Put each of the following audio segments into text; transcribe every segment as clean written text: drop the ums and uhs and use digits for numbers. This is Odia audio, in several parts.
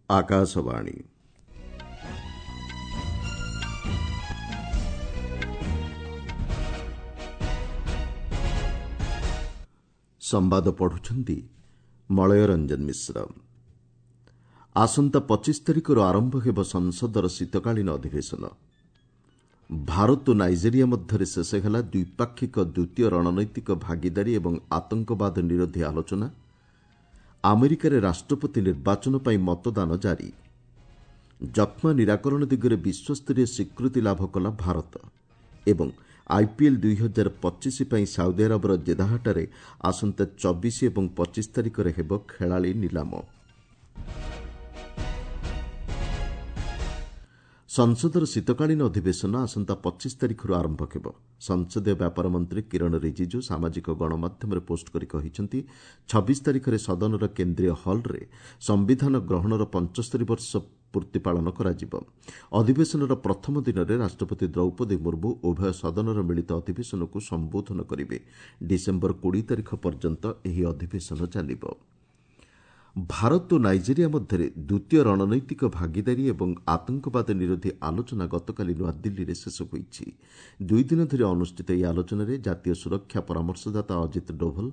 ଆକାଶବାଣୀ। ସମ୍ବାଦ ପଢୁଛନ୍ତି ମଳୟ ରଞ୍ଜନ ମିଶ୍ର। ଆସନ୍ତା 25 ତାରିଖରୁ ଆରମ୍ଭ ହେବ ସଂସଦର ଶୀତକାଳୀନ ଅଧିବେଶନ। ଭାରତ ଓ ନାଇଜେରିଆ ମଧ୍ୟରେ ଶେଷ ହେଲା ଦ୍ୱିପାକ୍ଷିକ ଦ୍ୱିତୀୟ ରଣନୈତିକ ଭାଗିଦାରୀ ଏବଂ ଆତଙ୍କବାଦ ନିରୋଧୀ ଆଲୋଚନା। ଆମେରିକାରେ ରାଷ୍ଟ୍ରପତି ନିର୍ବାଚନ ପାଇଁ ମତଦାନ ଜାରି। ଯକ୍ଷ୍ମା ନିରାକରଣ ଦିଗରେ ବିଶ୍ୱସ୍ତରୀୟ ସ୍ୱୀକୃତି ଲାଭ କଲା ଭାରତ ଏବଂ ଆଇପିଏଲ୍ 2025 ପାଇଁ ସାଉଦି ଆରବର ଜେଦାହଠାରେ ଆସନ୍ତା 24 ଏବଂ 25 ତାରିଖରେ ହେବ ଖେଳାଳି ନିଲାମ। ସଂସଦର ଶୀତକାଳୀନ ଅଧିବେଶନ ଆସନ୍ତା 25 ତାରିଖରୁ ଆରମ୍ଭ ହେବ। ସଂସଦୀୟ ବ୍ୟାପାର ମନ୍ତ୍ରୀ କିରଣ ରିଜିଜୁ ସାମାଜିକ ଗଣମାଧ୍ୟମରେ ପୋଷ୍ଟ କରି କହିଛନ୍ତି, 26 ତାରିଖରେ ସଦନର କେନ୍ଦ୍ରୀୟ ହଲ୍ରେ ସମ୍ବିଧାନ ଗ୍ରହଣର 75 ବର୍ଷ ପୂର୍ତ୍ତି ପାଳନ କରାଯିବ। ଅଧିବେଶନର ପ୍ରଥମ ଦିନରେ ରାଷ୍ଟ୍ରପତି ଦ୍ରୌପଦୀ ମୁର୍ମୁ ଉଭୟ ସଦନର ମିଳିତ ଅଧିବେଶନକୁ ସମ୍ବୋଧନ କରିବେ। ଡିସେମ୍ବର 20 ତାରିଖ ପର୍ଯ୍ୟନ୍ତ ଏହି ଅଧିବେଶନ ଚାଲିବ। ଭାରତ ଓ ନାଇଜେରିଆ ମଧ୍ୟରେ ଦ୍ୱିତୀୟ ରଣନୈତିକ ଭାଗିଦାରୀ ଏବଂ ଆତଙ୍କବାଦ ନିରୋଧୀ ଆଲୋଚନା ଗତକାଲି ନୂଆଦିଲ୍ଲୀରେ ଶେଷ ହୋଇଛି। ଦୁଇଦିନ ଧରି ଅନୁଷ୍ଠିତ ଏହି ଆଲୋଚନାରେ ଜାତୀୟ ସୁରକ୍ଷା ପରାମର୍ଶଦାତା ଅଜିତ ଡୋଭଲ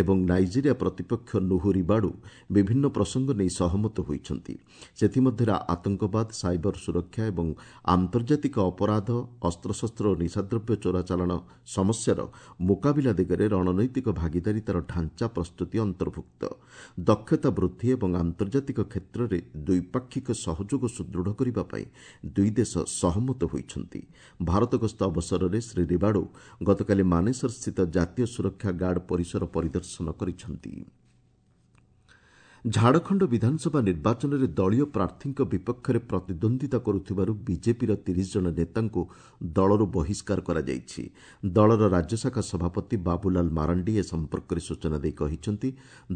ଏବଂ ନାଇଜେରିଆ ପ୍ରତିପକ୍ଷ ନୁହୁ ରିବାଡୁ ବିଭିନ୍ନ ପ୍ରସଙ୍ଗ ନେଇ ସହମତ ହୋଇଛନ୍ତି। ସେଥିମଧ୍ୟରେ ଆତଙ୍କବାଦ, ସାଇବର ସୁରକ୍ଷା ଏବଂ ଆନ୍ତର୍ଜାତିକ ଅପରାଧ, ଅସ୍ତ୍ରଶସ୍ତ୍ର ଓ ନିଶାଦ୍ରବ୍ୟ ଚୋରାଚାଲାଣ ସମସ୍ୟାର ମୁକାବିଲା ଦିଗରେ ରଣନୈତିକ ଭାଗିଦାରିତାର ଢାଞ୍ଚା ପ୍ରସ୍ତୁତି ଅନ୍ତର୍ଭୁକ୍ତ। ଦକ୍ଷତା ବୃଦ୍ଧି ଏବଂ ଆନ୍ତର୍ଜାତିକ କ୍ଷେତ୍ରରେ ଦ୍ୱିପାକ୍ଷିକ ସହଯୋଗ ସୁଦୃଢ଼ କରିବା ପାଇଁ ଦୁଇ ଦେଶ ସହମତ ହୋଇଛନ୍ତି। ଭାରତ ଗସ୍ତ ଅବସରରେ ଶ୍ରୀ ରିବାଡୁ ଗତକାଲି ମାନେସରସ୍ଥିତ ଜାତୀୟ ସୁରକ୍ଷା ଗାର୍ଡ ପରିସର ପରିଦର୍ଶନ କରିଛନ୍ତି। ଝାଡ଼ଖଣ୍ଡ ବିଧାନସଭା ନିର୍ବାଚନରେ ଦଳୀୟ ପ୍ରାର୍ଥୀଙ୍କ ବିପକ୍ଷରେ ପ୍ରତିଦ୍ୱନ୍ଦ୍ୱିତା କରୁଥିବାରୁ ବିଜେପିର 30 ଜଣ ନେତାଙ୍କୁ ଦଳରୁ ବହିଷ୍କାର କରାଯାଇଛି। ଦଳର ରାଜ୍ୟଶାଖା ସଭାପତି ବାବୁଲାଲ ମାରାଣ୍ଡି ଏ ସମ୍ପର୍କରେ ସୂଚନା ଦେଇ କହିଛନ୍ତି,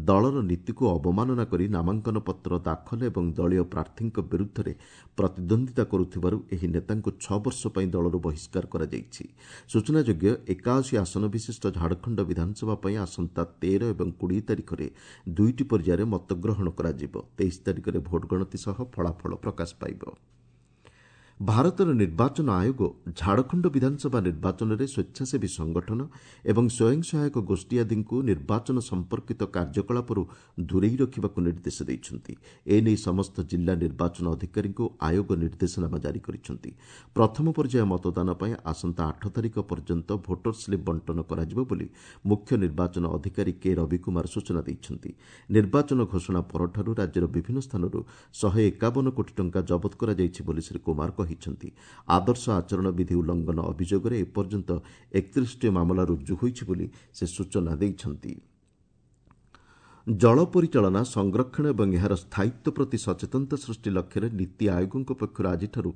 ଦଳର ନୀତିକୁ ଅବମାନନା କରି ନାମାଙ୍କନ ପତ୍ର ଦାଖଲ ଏବଂ ଦଳୀୟ ପ୍ରାର୍ଥୀଙ୍କ ବିରୁଦ୍ଧରେ ପ୍ରତିଦ୍ୱନ୍ଦ୍ୱିତା କରୁଥିବାରୁ ଏହି ନେତାଙ୍କୁ 6 ବର୍ଷ ପାଇଁ ଦଳରୁ ବହିଷ୍କାର କରାଯାଇଛି। ସୂଚନାଯୋଗ୍ୟ, 81 ଆସନ ବିଶିଷ୍ଟ ଝାଡ଼ଖଣ୍ଡ ବିଧାନସଭା ପାଇଁ ଆସନ୍ତା 13 ଏବଂ 20 ତାରିଖରେ ଦୁଇଟି ପର୍ଯ୍ୟାୟରେ ମତଗ୍ରହଣ କରାଯିବ। 23 ତାରିଖରେ ଭୋଟ ଗଣତି ସହ ଫଳାଫଳ ପ୍ରକାଶ ପାଇବ। ଭାରତର ନିର୍ବାଚନ ଆୟୋଗ ଝାଡ଼ଖଣ୍ଡ ବିଧାନସଭା ନିର୍ବାଚନରେ ସ୍ୱେଚ୍ଛାସେବୀ ସଂଗଠନ ଏବଂ ସ୍ୱୟଂ ସହାୟକ ଗୋଷ୍ଠୀ ଆଦିଙ୍କୁ ନିର୍ବାଚନ ସମ୍ପର୍କିତ କାର୍ଯ୍ୟକଳାପରୁ ଦୂରେଇ ରଖିବାକୁ ନିର୍ଦ୍ଦେଶ ଦେଇଛନ୍ତି। ଏନେଇ ସମସ୍ତ ଜିଲ୍ଲା ନିର୍ବାଚନ ଅଧିକାରୀଙ୍କୁ ଆୟୋଗ ନିର୍ଦ୍ଦେଶନାମା ଜାରି କରିଛନ୍ତି। ପ୍ରଥମ ପର୍ଯ୍ୟାୟ ମତଦାନ ପାଇଁ ଆସନ୍ତା 8 ତାରିଖ ପର୍ଯ୍ୟନ୍ତ ଭୋଟର ସ୍ଲିପ୍ ବଣ୍ଟନ କରାଯିବ ବୋଲି ମୁଖ୍ୟ ନିର୍ବାଚନ ଅଧିକାରୀ କେ ରବି କୁମାର ସୂଚନା ଦେଇଛନ୍ତି। ନିର୍ବାଚନ ଘୋଷଣା ପରଠାରୁ ରାଜ୍ୟର ବିଭିନ୍ନ ସ୍ଥାନରୁ 151 କୋଟି ଟଙ୍କା ଜବତ କରାଯାଇଛି ବୋଲି ଶ୍ରୀ କୁମାର କହିଛନ୍ତି। ଆଦର୍ଶ ଆଚରଣ ବିଧି ଉଲ୍ଲଂଘନ ଅଭିଯୋଗରେ ଏପର୍ଯ୍ୟନ୍ତ 31ଟି ମାମଲା ରୁଜୁ ହୋଇଛି ବୋଲି ସେ ସୂଚନା ଦେଇଛନ୍ତି। ଜଳ ପରିଚାଳନା, ସଂରକ୍ଷଣ ଏବଂ ଏହାର ସ୍ଥାୟିତ୍ୱ ପ୍ରତି ସଚେତନତା ସୃଷ୍ଟି ଲକ୍ଷ୍ୟରେ ନୀତି ଆୟୋଗଙ୍କ ପକ୍ଷରୁ ଆଜିଠାରୁ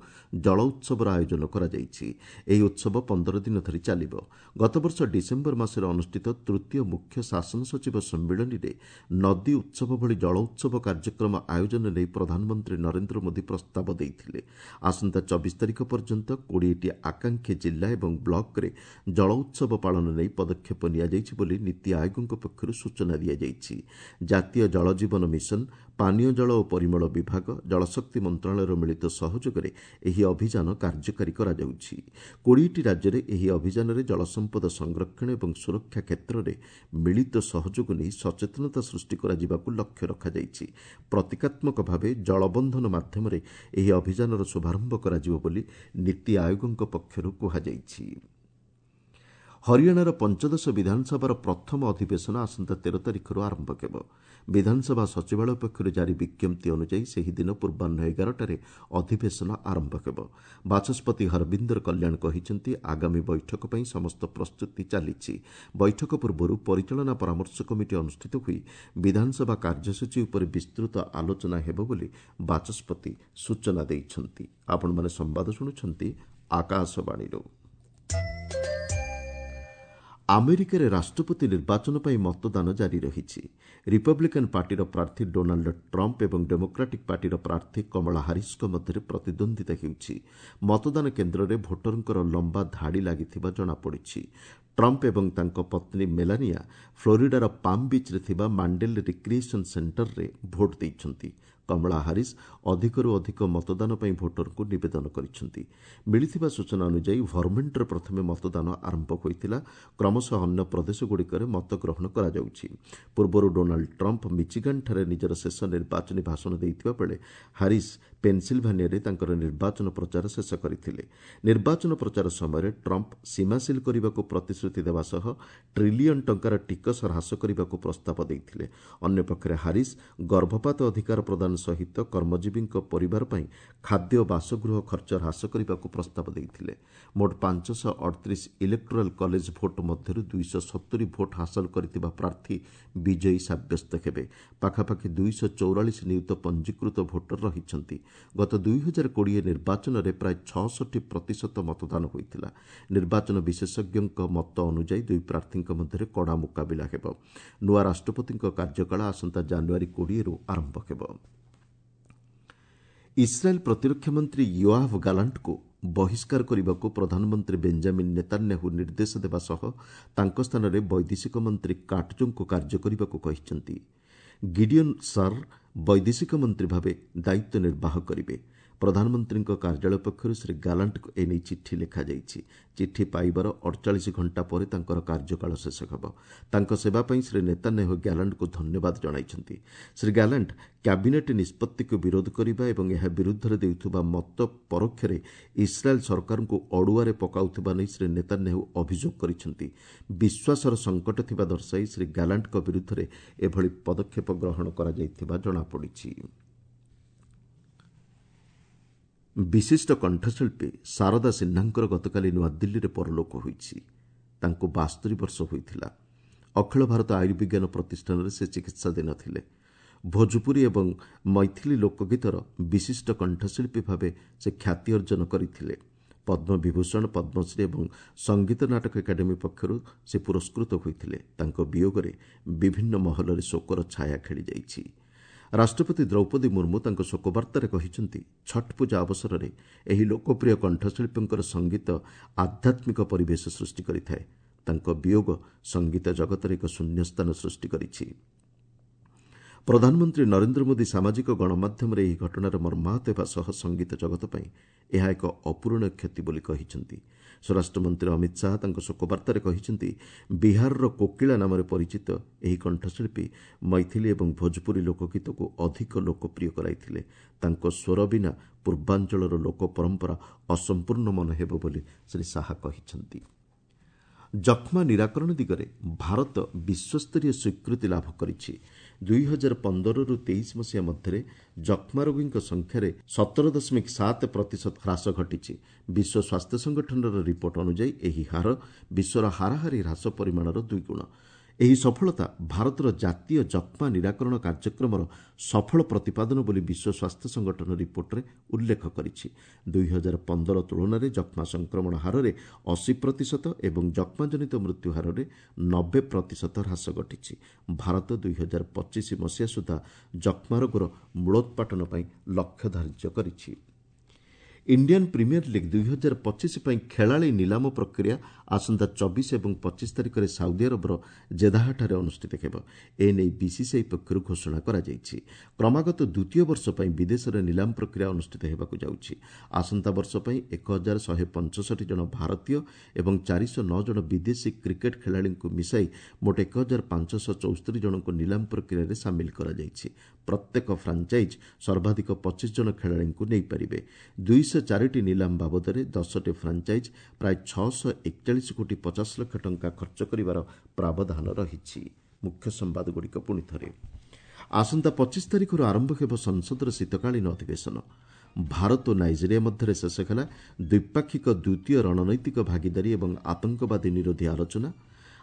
ଜଳ ଉତ୍ସବର ଆୟୋଜନ କରାଯାଇଛି। ଏହି ଉତ୍ସବ 15 ଦିନ ଧରି ଚାଲିବ। ଗତବର୍ଷ ଡିସେମ୍ବର ମାସରେ ଅନୁଷ୍ଠିତ ତୃତୀୟ ମୁଖ୍ୟ ଶାସନ ସଚିବ ସମ୍ମିଳନୀରେ ନଦୀ ଉତ୍ସବ ଭଳି ଜଳ ଉତ୍ସବ କାର୍ଯ୍ୟକ୍ରମ ଆୟୋଜନ ନେଇ ପ୍ରଧାନମନ୍ତ୍ରୀ ନରେନ୍ଦ୍ର ମୋଦି ପ୍ରସ୍ତାବ ଦେଇଥିଲେ। ଆସନ୍ତା 24 ତାରିଖ ପର୍ଯ୍ୟନ୍ତ 20ଟି ଆକାଂକ୍ଷୀ ଜିଲ୍ଲା ଏବଂ ବ୍ଲକରେ ଜଳ ଉତ୍ସବ ପାଳନ ନେଇ ପଦକ୍ଷେପ ନିଆଯାଇଛି ବୋଲି ନୀତି ଆୟୋଗଙ୍କ ପକ୍ଷରୁ ସୂଚନା ଦିଆଯାଇଛି। ଜାତୀୟ ଜଳ ଜୀବନ ମିଶନ, ପାନୀୟ ଜଳ ଓ ପରିମଳ ବିଭାଗ, ଜଳଶକ୍ତି ମନ୍ତ୍ରଣାଳୟର ମିଳିତ ସହଯୋଗରେ ଏହି ଅଭିଯାନ କାର୍ଯ୍ୟକାରୀ କରାଯାଉଛି। 20ଟି ରାଜ୍ୟରେ ଏହି ଅଭିଯାନରେ ଜଳସମ୍ପଦ ସଂରକ୍ଷଣ ଏବଂ ସୁରକ୍ଷା କ୍ଷେତ୍ରରେ ମିଳିତ ସହଯୋଗ ନେଇ ସଚେତନତା ସୃଷ୍ଟି କରାଯିବାକୁ ଲକ୍ଷ୍ୟ ରଖାଯାଇଛି। ପ୍ରତୀକାତ୍ମକ ଭାବେ ଜଳବନ୍ଧନ ମାଧ୍ୟମରେ ଏହି ଅଭିଯାନର ଶୁଭାରମ୍ଭ କରାଯିବ ବୋଲି ନୀତି ଆୟୋଗଙ୍କ ପକ୍ଷରୁ କୁହାଯାଇଛି। ହରିୟାଣାର ପଞ୍ଚଦଶ ବିଧାନସଭାର ପ୍ରଥମ ଅଧିବେଶନ ଆସନ୍ତା 13 ତାରିଖରୁ ଆରମ୍ଭ ହେବ। ବିଧାନସଭା ସଚିବାଳୟ ପକ୍ଷରୁ ଜାରି ବିଜ୍ଞପ୍ତି ଅନୁଯାୟୀ ସେହିଦିନ ପୂର୍ବାହ୍ନ 11ଟାରେ ଅଧିବେଶନ ଆରମ୍ଭ ହେବ। ବାଚସ୍ପତି ହରବିନ୍ଦର କଲ୍ୟାଣ କହିଛନ୍ତି, ଆଗାମୀ ବୈଠକ ପାଇଁ ସମସ୍ତ ପ୍ରସ୍ତୁତି ଚାଲିଛି। ବୈଠକ ପୂର୍ବରୁ ପରିଚାଳନା ପରାମର୍ଶ କମିଟି ଅନୁଷ୍ଠିତ ହୋଇ ବିଧାନସଭା କାର୍ଯ୍ୟସୂଚୀ ଉପରେ ବିସ୍ତୃତ ଆଲୋଚନା ହେବ ବୋଲି ବାଚସ୍ପତି ସୂଚନା ଦେଇଛନ୍ତି। ଆପଣମାନେ ସମ୍ବାଦ ଶୁଣୁଛନ୍ତି ଆକାଶବାଣୀରୁ। ଆମେରିକାରେ ରାଷ୍ଟ୍ରପତି ନିର୍ବାଚନ ପାଇଁ ମତଦାନ ଜାରି ରହିଛି। ରିପବ୍ଲିକାନ୍ ପାର୍ଟିର ପ୍ରାର୍ଥୀ ଡୋନାଲ୍ଡ ଟ୍ରମ୍ପ ଏବଂ ଡେମୋକ୍ରାଟିକ୍ ପାର୍ଟିର ପ୍ରାର୍ଥୀ କମଳା ହାରିସ୍ଙ୍କ ମଧ୍ୟରେ ପ୍ରତିଦ୍ୱନ୍ଦ୍ୱିତା ହେଉଛି। ମତଦାନ କେନ୍ଦ୍ରରେ ଭୋଟରଙ୍କର ଲମ୍ବା ଧାଡ଼ି ଲାଗିଥିବା ଜଣାପଡ଼ିଛି। ଟ୍ରମ୍ପ ଏବଂ ତାଙ୍କ ପତ୍ନୀ ମେଲାନିଆ ଫ୍ଲୋରିଡାର ପାମ୍ ବିଚ୍ରେ ଥିବା ମାଣ୍ଡେଲ୍ ରିକ୍ରିଏସନ୍ ସେଣ୍ଟରରେ ଭୋଟ୍ ଦେଇଛନ୍ତି। କମଳା ହାରିସ୍ ଅଧିକରୁ ଅଧିକ ମତଦାନ ପାଇଁ ଭୋଟରଙ୍କୁ ନିବେଦନ କରିଛନ୍ତି। ମିଳିଥିବା ସୂଚନା ଅନୁଯାୟୀ ଭର୍ମେଣ୍ଟରେ ପ୍ରଥମେ ମତଦାନ ଆରମ୍ଭ ହୋଇଥିଲା। କ୍ରମଶଃ ଅନ୍ୟ ପ୍ରଦେଶଗୁଡ଼ିକରେ ମତଗ୍ରହଣ କରାଯାଉଛି। ପୂର୍ବରୁ ଡୋନାଲ୍ଡ ଟ୍ରମ୍ପ ମିଚିଗାନଠାରେ ନିଜର ଶେଷ ନିର୍ବାଚନୀ ଭାଷଣ ଦେଇଥିବା ବେଳେ ହାରିସ୍ ପେନ୍ସିଲଭାନିଆରେ ତାଙ୍କର ନିର୍ବାଚନ ପ୍ରଚାର ଶେଷ କରିଥିଲେ। ନିର୍ବାଚନ ପ୍ରଚାର ସମୟରେ ଟ୍ରମ୍ପ ସୀମା ସିଲ୍ କରିବାକୁ ପ୍ରତିଶ୍ରୁତି ଦେବା ସହ ଟ୍ରିଲିୟନ୍ ଟଙ୍କାର ଟିକସ ହ୍ରାସ କରିବାକୁ ପ୍ରସ୍ତାବ ଦେଇଥିଲେ। ଅନ୍ୟପକ୍ଷରେ ହାରିସ୍ ଗର୍ଭପାତ ଅଧିକାର ପ୍ରଦାନ ସହିତ କର୍ମଜୀବୀଙ୍କ ପରିବାର ପାଇଁ ଖାଦ୍ୟ ଓ ବାସଗୃହ ଖର୍ଚ୍ଚ ହ୍ରାସ କରିବାକୁ ପ୍ରସ୍ତାବ ଦେଇଥିଲେ। ମୋଟ 538 ଇଲେକ୍ଟୋରାଲ୍ କଲେଜ ଭୋଟ୍ ମଧ୍ୟରୁ 270 ଭୋଟ୍ ହାସଲ କରିଥିବା ପ୍ରାର୍ଥୀ ବିଜୟୀ ସାବ୍ୟସ୍ତ ହେବେ। ପାଖାପାଖି 244 ନିୟୁତ ପଞ୍ଜୀକୃତ ଭୋଟର ରହିଛନ୍ତି। ଗତ 2020 ନିର୍ବାଚନରେ ପ୍ରାୟ 66% ମତଦାନ ହୋଇଥିଲା। ନିର୍ବାଚନ ବିଶେଷଜ୍ଞଙ୍କ ମତ ଅନୁଯାୟୀ ଦୁଇ ପ୍ରାର୍ଥୀଙ୍କ ମଧ୍ୟରେ କଡ଼ା ମୁକାବିଲା ହେବ। ନୂଆ ରାଷ୍ଟ୍ରପତିଙ୍କ କାର୍ଯ୍ୟକାଳ ଆସନ୍ତା ଜାନୁଆରୀ 20ରୁ ଆରମ୍ଭ ହେବ। ଇସ୍ରାଏଲ୍ ପ୍ରତିରକ୍ଷା ମନ୍ତ୍ରୀ ୟୋଆଭ୍ ଗାଲାଣ୍ଟଙ୍କୁ ବହିଷ୍କାର କରିବାକୁ ପ୍ରଧାନମନ୍ତ୍ରୀ ବେଞ୍ଜାମିନ୍ ନେତାନ୍ୟାହୁ ନିର୍ଦ୍ଦେଶ ଦେବା ସହ ତାଙ୍କ ସ୍ଥାନରେ ବୈଦେଶିକ ମନ୍ତ୍ରୀ କାଟ୍ଜଙ୍କୁ କାର୍ଯ୍ୟ କରିବାକୁ କହିଛନ୍ତି। ଗିଡିଅନ୍ ସାର୍ ବୈଦେଶିକ ମନ୍ତ୍ରୀ ଭାବେ ଦାୟିତ୍ୱ ନିର୍ବାହ କରିବେ। ପ୍ରଧାନମନ୍ତ୍ରୀଙ୍କ କାର୍ଯ୍ୟାଳୟ ପକ୍ଷରୁ ଶ୍ରୀ ଗାଲାଣ୍ଟଙ୍କୁ ଏନେଇ ଚିଠି ଲେଖାଯାଇଛି। ଚିଠି ପାଇବାର 48 ଘଣ୍ଟା ପରେ ତାଙ୍କର କାର୍ଯ୍ୟକାଳ ଶେଷ ହେବ। ତାଙ୍କ ସେବା ପାଇଁ ଶ୍ରୀ ନେତାନ୍ୟାହୁ ଗ୍ୟାଲାଣ୍ଟଙ୍କୁ ଧନ୍ୟବାଦ ଜଣାଇଛନ୍ତି। ଶ୍ରୀ ଗ୍ୟାଲାଣ୍ଟ କ୍ୟାବିନେଟ୍ ନିଷ୍ପତ୍ତିକୁ ବିରୋଧ କରିବା ଏବଂ ଏହା ବିରୁଦ୍ଧରେ ଦେଉଥିବା ମତ ପରୋକ୍ଷରେ ଇସ୍ରାଏଲ୍ ସରକାରଙ୍କୁ ଅଡୁଆରେ ପକାଉଥିବା ନେଇ ଶ୍ରୀ ନେତାନ୍ୟାହୁ ଅଭିଯୋଗ କରିଛନ୍ତି। ବିଶ୍ୱାସର ସଙ୍କଟ ଥିବା ଦର୍ଶାଇ ଶ୍ରୀ ଗ୍ୟାଲାଣ୍ଟଙ୍କ ବିରୁଦ୍ଧରେ ଏଭଳି ପଦକ୍ଷେପ ଗ୍ରହଣ କରାଯାଇଥିବା ଜଣାପଡ଼ିଛି। ବିଶିଷ୍ଟ କଣ୍ଠଶିଳ୍ପୀ ଶାରଦା ସିହ୍ନାଙ୍କର ଗତକାଲି ନୂଆଦିଲ୍ଲୀରେ ପରଲୋକ ହୋଇଛି। ତାଙ୍କୁ 72 ବର୍ଷ ହୋଇଥିଲା। ଅଖିଳ ଭାରତ ଆୟୁର୍ବିଜ୍ଞାନ ପ୍ରତିଷ୍ଠାନରେ ସେ ଚିକିତ୍ସାଧୀନ ଥିଲେ। ଭୋଜପୁରୀ ଏବଂ ମୈଥିଲି ଲୋକଗୀତର ବିଶିଷ୍ଟ କଣ୍ଠଶିଳ୍ପୀ ଭାବେ ସେ ଖ୍ୟାତି ଅର୍ଜନ କରିଥିଲେ। ପଦ୍ମବିଭୂଷଣ, ପଦ୍ମଶ୍ରୀ ଏବଂ ସଙ୍ଗୀତ ନାଟକ ଏକାଡେମୀ ପକ୍ଷରୁ ସେ ପୁରସ୍କୃତ ହୋଇଥିଲେ। ତାଙ୍କ ବିୟୋଗରେ ବିଭିନ୍ନ ମହଲରେ ଶୋକର ଛାୟା ଖେଳିଯାଇଛି। ରାଷ୍ଟ୍ରପତି ଦ୍ରୌପଦୀ ମୁର୍ମୁ ତାଙ୍କ ଶୋକବାର୍ତ୍ତାରେ କହିଛନ୍ତି, ଛଟ୍ ପୂଜା ଅବସରରେ ଏହି ଲୋକପ୍ରିୟ କଣ୍ଠଶିଳ୍ପୀଙ୍କର ସଙ୍ଗୀତ ଆଧ୍ୟାତ୍ମିକ ପରିବେଶ ସୃଷ୍ଟି କରିଥାଏ। ତାଙ୍କ ବିୟୋଗ ସଙ୍ଗୀତ ଜଗତରେ ଏକ ଶୂନ୍ୟସ୍ଥାନ ସୃଷ୍ଟି କରିଛି। ପ୍ରଧାନମନ୍ତ୍ରୀ ନରେନ୍ଦ୍ର ମୋଦି ସାମାଜିକ ଗଣମାଧ୍ୟମରେ ଏହି ଘଟଣାରେ ମର୍ମାହତ ହେବା ସହ ସଙ୍ଗୀତ ଜଗତ ପାଇଁ ଏହା ଏକ ଅପୂରଣୀୟ କ୍ଷତି ବୋଲି କହିଛନ୍ତି। ସ୍ୱରାଷ୍ଟ୍ରମନ୍ତ୍ରୀ ଅମିତ ଶାହା ତାଙ୍କ ଶୋକବାର୍ତ୍ତାରେ କହିଛନ୍ତି, ବିହାରର କୋକିଳା ନାମରେ ପରିଚିତ ଏହି କଣ୍ଠଶିଳ୍ପୀ ମୈଥିଲି ଏବଂ ଭୋଜପୁରୀ ଲୋକଗୀତକୁ ଅଧିକ ଲୋକପ୍ରିୟ କରାଇଥିଲେ। ତାଙ୍କ ସ୍ୱର ବିନା ପୂର୍ବାଞ୍ଚଳର ଲୋକ ପରମ୍ପରା ଅସମ୍ପୂର୍ଣ୍ଣ ମନେ ହେବ ବୋଲି ଶ୍ରୀ ଶାହା କହିଛନ୍ତି। ଯକ୍ଷ୍ମା ନିରାକରଣ ଦିଗରେ ଭାରତ ବିଶ୍ୱସ୍ତରୀୟ ସ୍ୱୀକୃତି ଲାଭ କରିଛି। 2015ରୁ 23 ମସିହା ମଧ୍ୟରେ ଯକ୍ଷ୍ମା ରୋଗୀଙ୍କ ସଂଖ୍ୟାରେ 17.7% ହ୍ରାସ ଘଟିଛି। ବିଶ୍ୱ ସ୍ୱାସ୍ଥ୍ୟ ସଂଗଠନର ରିପୋର୍ଟ ଅନୁଯାୟୀ ଏହି ହାର ବିଶ୍ୱର ହାରାହାରି ହ୍ରାସ ପରିମାଣର ଦୁଇଗୁଣ। ଏହି ସଫଳତା ଭାରତର ଜାତୀୟ ଯକ୍ଷ୍ମା ନିରାକରଣ କାର୍ଯ୍ୟକ୍ରମର ସଫଳ ପ୍ରତିପାଦନ ବୋଲି ବିଶ୍ୱ ସ୍ୱାସ୍ଥ୍ୟ ସଂଗଠନ ରିପୋର୍ଟରେ ଉଲ୍ଲେଖ କରିଛି। 2015 ତୁଳନାରେ ଯକ୍ଷ୍ମା ସଂକ୍ରମଣ ହାରରେ 80% ଏବଂ ଯକ୍ଷ୍ମାଜନିତ ମୃତ୍ୟୁ ହାରରେ 90% ହ୍ରାସ ଘଟିଛି। ଭାରତ 2025 ମସିହା ସୁଦ୍ଧା ଯକ୍ଷ୍ମା ରୋଗର ମୂଳୋତ୍ପାଟନ ପାଇଁ ଲକ୍ଷ୍ୟ ଧାର୍ଯ୍ୟ କରିଛି। ଇଣ୍ଡିଆନ୍ ପ୍ରିମିୟର ଲିଗ୍ 2025 ପାଇଁ ଖେଳାଳି ନିଲାମ ପ୍ରକ୍ରିୟା ଆସନ୍ତା 24 ଏବଂ 25 ତାରିଖରେ ସାଉଦି ଆରବର ଜେଦାହଠାରେ ଅନୁଷ୍ଠିତ ହେବ। ଏନେଇ ବିସିସିଆଇ ପକ୍ଷରୁ ଘୋଷଣା କରାଯାଇଛି। କ୍ରମାଗତ ଦ୍ୱିତୀୟ ବର୍ଷ ପାଇଁ ବିଦେଶରେ ନିଲାମ ପ୍ରକ୍ରିୟା ଅନୁଷ୍ଠିତ ହେବାକୁ ଯାଉଛି। ଆସନ୍ତା ବର୍ଷ ପାଇଁ 1165 ଜଣ ଭାରତୀୟ ଏବଂ 409 ଜଣ ବିଦେଶୀ କ୍ରିକେଟ୍ ଖେଳାଳିଙ୍କୁ ମିଶାଇ ମୋଟ 1574 ଜଣଙ୍କୁ ନିଲାମ ପ୍ରକ୍ରିୟାରେ ସାମିଲ କରାଯାଇଛି। ପ୍ରତ୍ୟେକ ଫ୍ରାଞ୍ଚାଇଜ୍ ସର୍ବାଧିକ 25 ଜଣ ଖେଳାଳିଙ୍କୁ ନେଇପାରିବେ। 204ଟି ନିଲାମ ବାବଦରେ 10ଟି ଫ୍ରାଞ୍ଚାଇଜ୍ ପ୍ରାୟ 641 କୋଟି 50 ଲକ୍ଷ ଟଙ୍କା ଖର୍ଚ୍ଚ କରିବାର ପ୍ରାବଧାନ ରହିଛି। ମୁଖ୍ୟ ସମ୍ବାଦଗୁଡ଼ିକ ପୁଣି ଥରେ। ଆସନ୍ତା 25 ତାରିଖରୁ ଆରମ୍ଭ ହେବ ସଂସଦର ଶୀତକାଳୀନ ଅଧିବେଶନ। ଭାରତ ଓ ନାଇଜେରିଆ ମଧ୍ୟରେ ଶେଷ ହେଲା ଦ୍ୱିପାକ୍ଷିକ ଦ୍ୱିତୀୟ ରଣନୈତିକ ଭାଗିଦାରୀ ଏବଂ ଆତଙ୍କବାଦୀ ନିରୋଧୀ ଆଲୋଚନା।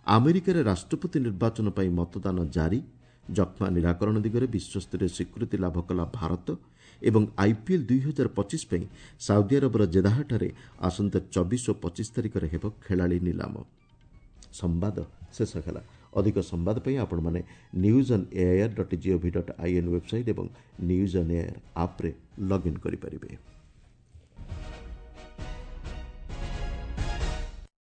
ଆମେରିକାରେ ରାଷ୍ଟ୍ରପତି ନିର୍ବାଚନ ପାଇଁ ମତଦାନ ଜାରି। ଯକ୍ଷ୍ମା ନିରାକରଣ ଦିଗରେ ବିଶ୍ୱସ୍ତରୀୟ ସ୍ୱୀକୃତି ଲାଭ କଲା ଭାରତ ଏବଂ ଆଇପିଏଲ୍ 2025 ପାଇଁ ସାଉଦି ଆରବର ଜେଦାହଠାରେ ଆସନ୍ତା 24 ଓ 25 ତାରିଖରେ ହେବ ଖେଳାଳି ନିଲାମ। ସମ୍ବାଦ ଶେଷ ହେଲା। ଅଧିକ ସମ୍ବାଦ ପାଇଁ ଆପଣମାନେ news on AIR dot GOV dot IN website ଏବଂ ନ୍ୟୁଜ୍ ଅନ୍ ଏଆଇଆର୍ ଆପ୍ରେ ଲଗ୍ଇନ୍ କରିପାରିବେ।